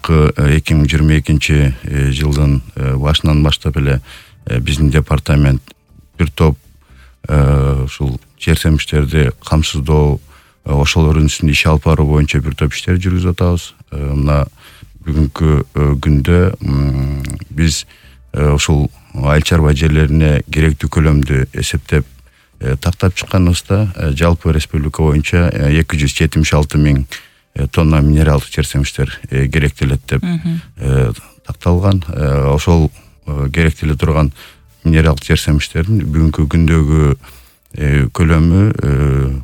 акыркы 2022 жылдын башынан баштап эле биздин департамент бир топ ушул жер семиштерди камсыздоо ошолордун үстүндө иш алып баруу боюнча бир топ иштер жүргүзүп атабыз. Мына бүгүнкү күндө биз ушул айыл чарба жерлерине керектүү көлөмдү эсептеп тактап чыкканыбызда жалпы республика боюнча 276 миң тонна минералдык жер семиштер керектелет деп такталган. Ошол керектеле турган минералдык жер семиштердин бүгүнкү күндөгү көлөмү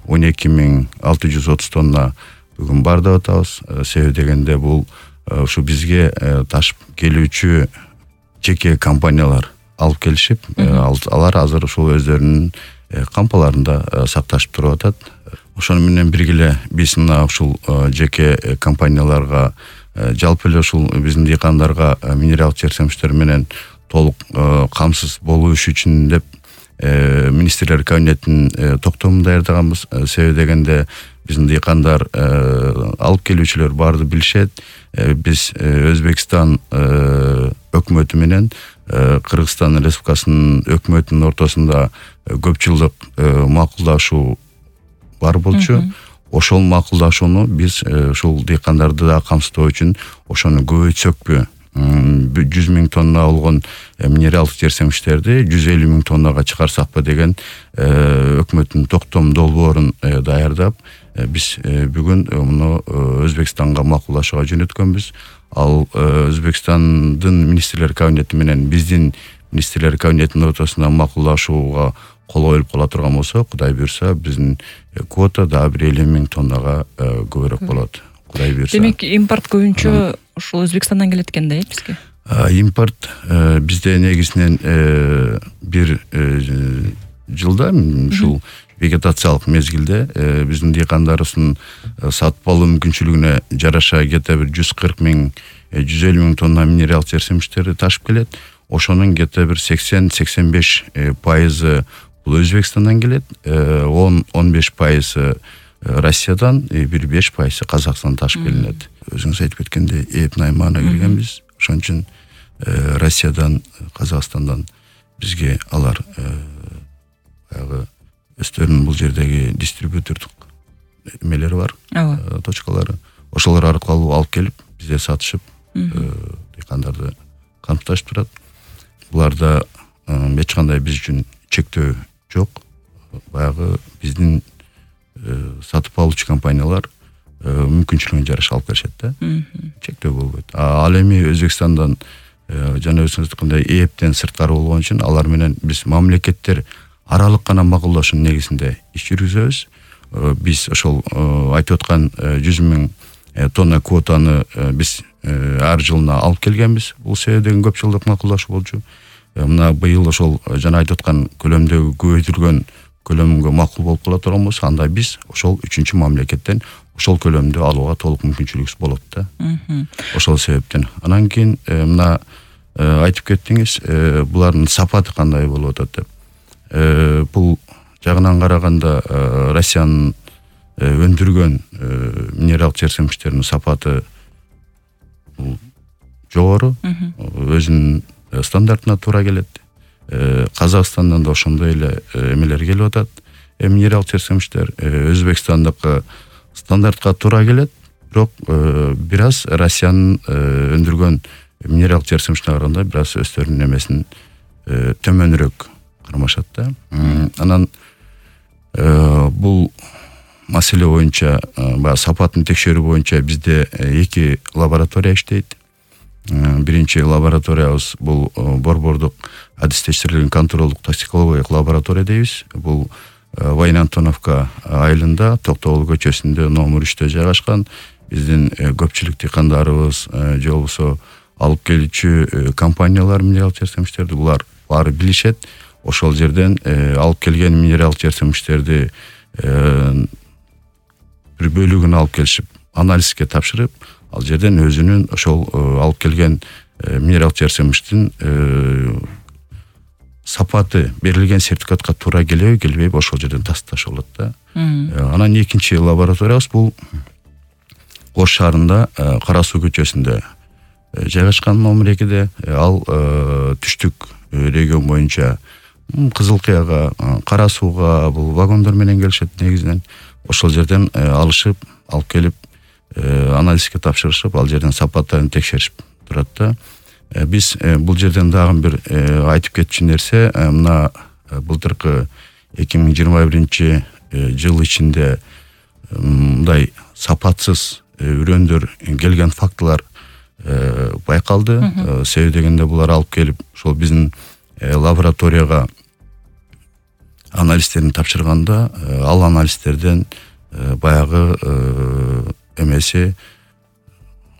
12.630 тонна бүгүн бар деп атабыз. Себеби дегенде бул ушу бизге ташып келүүчү жеке компаниялар алып келишип, алар азыр ушул өздөрүнүн кампаларында сакташып туруп атат. Ошону менен бирге биз мына ушул жеке компанияларга жалпы эле ушул биздин дыйкандарга минералдык жер семиштер менен толук камсыз болуш үчүн деп министрлер кабинетинин токтомун даярдаганбыз. Себеби дегенде биздин дыйкандар алып келүүчүлөр баарды билишет. Биз Өзбекстан өкмөтү менен Кыргызстан Республикасынын өкмөтүнүн ортосунда көп жылдык макулдашуу бар болчу. Ошол макулдашууну биз ушул дыйкандарды да камсыздоо үчүн ошону көбөйтсөкпү, 100 миң тонна болгон минералдык жер семиштерди 150 миң тоннага чыгарсакпы деген өкмөттүн токтом долбоорун даярдап, биз бүгүн муну Өзбекстанга макулдашууга жөнөткөнбүз. Ал Өзбекстандын министрлер кабинети менен биздин министрлер кабинетинин ортосунда макулдашууга кол коюлуп кала турган болсо, Кудай буйрса, биздин квота да 150 миң тоннага көбүрөөк болот. Кудай буйрса. Демек, импорт көбүнчө ушул Өзбекстандан келет экен да, бизге? Импорт бизде негизинен бир жылда ушул вегетациялык мезгилде биздин дыйкандарыбыздын сатып алуу мүмкүнчүлүгүнө жараша где-то бир 140 миң 150 миң тонна минералдык жер семиштерди ташып келет. Ошонун где-то бир 80-85% бул Өзбекстандан келет, 10-15% Россиядан, бир 5% Казакстандан ташып келинет. Өзүңүз айтып кеткендей, эп наймана келгенбиз. Ошон үчүн Россиядан, Казакстандан бизге алар баягы өздөрүнүн бул жердеги дистрибьютордук эмелери бар, точкалары. Ошолор аркылуу алып келип, бизде сатышып, дыйкандарды камсыздашып турат. Буларда эч кандай биз үчүн чектөө жок. Баягы биздин сатып алуучу компаниялар мүмкүнчүлүгүнө жараша алып келишет да. Чектөө болбойт. Ал эми Өзбекстандан жана өзүңүз айткандай эптен сырткары болгон үчүн алар менен биз мамлекеттер аралык гана макулдашуунун негизинде иш жүргүзөбүз. Биз ошол айтып аткан 100 миң тонна квотаны биз ар жылына алып келгенбиз. Бул себептен көп жылдык макулдашуу болчу. Мына быйыл ошол жана айтып аткан көлөмдөгү көбөйтүлгөн көлөмгө макул болуп кала турган болсо, анда биз ошол 3-чү мамлекеттен ошол көлөмдү алууга толук мүмкүнчүлүгүбүз болот да. Ошол себептен. Анан кийин мына айтып кеттиңиз, булардын сапаты кандай болуп атат деп. Бул жагынан караганда Россиянын өндүргөн минералдык жер семиштеринин сапаты жогору, өзүнүн стандартына туура келет. Казакстандан да ошондой эле эмелер келип атат. Минералдык жер семиштер Өзбекстандыкы стандартка туура келет, бирок бир аз Россиянын өндүргөн минералдык жер семиштерине караганда бир аз өздөрүнүн эмесин төмөнүрөөк кармашат да. Анан бул маселе боюнча, сапатын текшерүү боюнча бизде 2 лаборатория иштейт. Биринчи лабораториябыз бул борбордук адистештирилген контролдук токсикологиялык лаборатория дейбиз. Бул Вайнантоновка айылында, Токтогул көчөсүндө номер 3-тө жайгашкан. Биздин көпчүлүк дыйкандарыбыз же болбосо алып келүүчү компаниялар минералдык жер семиштерди булар баары билишет. Ошол жерден алып келген минералдык жер семиштерди бир бөлүгүн алып келишип, анализге тапшырып, ал жерден өзүнүн ошол алып келген минералдык жер семиштин сапаты берилген сертификатка туура келеби, келбейби, ошол жерден тасташ болот да. Анан экинчи лабораториябыз бул Ош шаарында Кара суу көчөсүндө жайгашкан номер 2-де, ал түштүк регион боюнча Кызыл Кыяга, Кара Сууга бул вагондор менен келишет негизинен. Ошол жерден алышып, алып келип анализге тапшырышып, ал жерден сапаттарын текшеришип турат да. Биз бул жерден дагы бир айтып кетчү нерсе, мына былтыркы 2021 жыл ичинде мындай сапатсыз үрөндөр келген фактылар байкалды. Себеби дегенде булар алып келип ошол биздин лабораторияга анализтерин тапшырганда, ал анализтерден баягы эмеси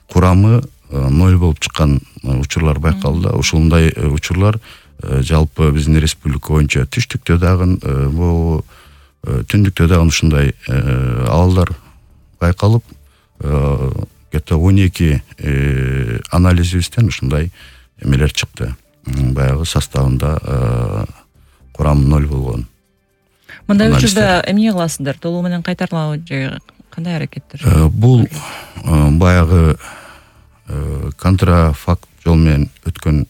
курамы 0 болуп чыккан учурлар байкалды. Ушундай учурлар жалпы биздин республика боюнча түштүктө дагы, бул түндүктө дагы ушундай абалдар байкалып, где-то 12 анализибизден ушундай эмелер чыкты. Баягы составында курамы 0 болгон. Мындай учурда эмне кыласыздар? Толугу менен кайтармабы же кандай аракеттер? Бул баягы контрафакт жол менен өткөн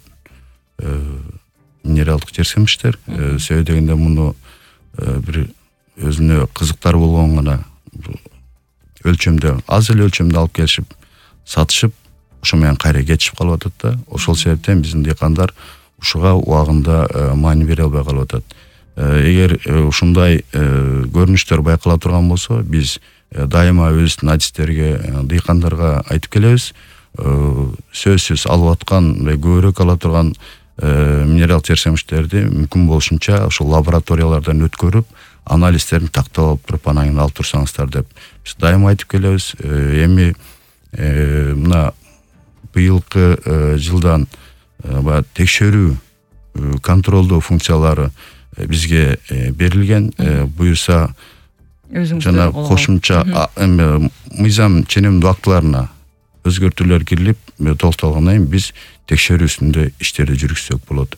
минералдык жерсемиштер. Себеби дегенде муну бир өзүнө кызыктар болгон гана өлчөмдө, аз эле өлчөмдө алып келишип, сатышып, ошо менен кайра кетишип калып атат да. Ошол себептен биздин дыйкандар ушуга убагында маани бере албай калып атат. Эгер ушундай көрүнүштөр байкала турган болсо, биз дайыма өзүбүздүн адистерге, дыйкандарга айтып келебиз. Сөзсүз алып аткан, көбүрөөк ала турган минерал жерсемиштерди мүмкүн болушунча ошол лабораториялардан өткөрүп, анализтерин тактап алып туруп, анан кийин алып турсаңыздар деп биз дайыма айтып келебиз. Эми мына быйылкы жылдан баягы текшерүү, контролдоо функциялары бизге берилген. Буюрса жана кошумча мыйзам ченемдүү актыларына өзгөртүүлөр кирилип, толукталгандан кийин биз текшерүү үстүндө иштерди жүргүзсөк болот.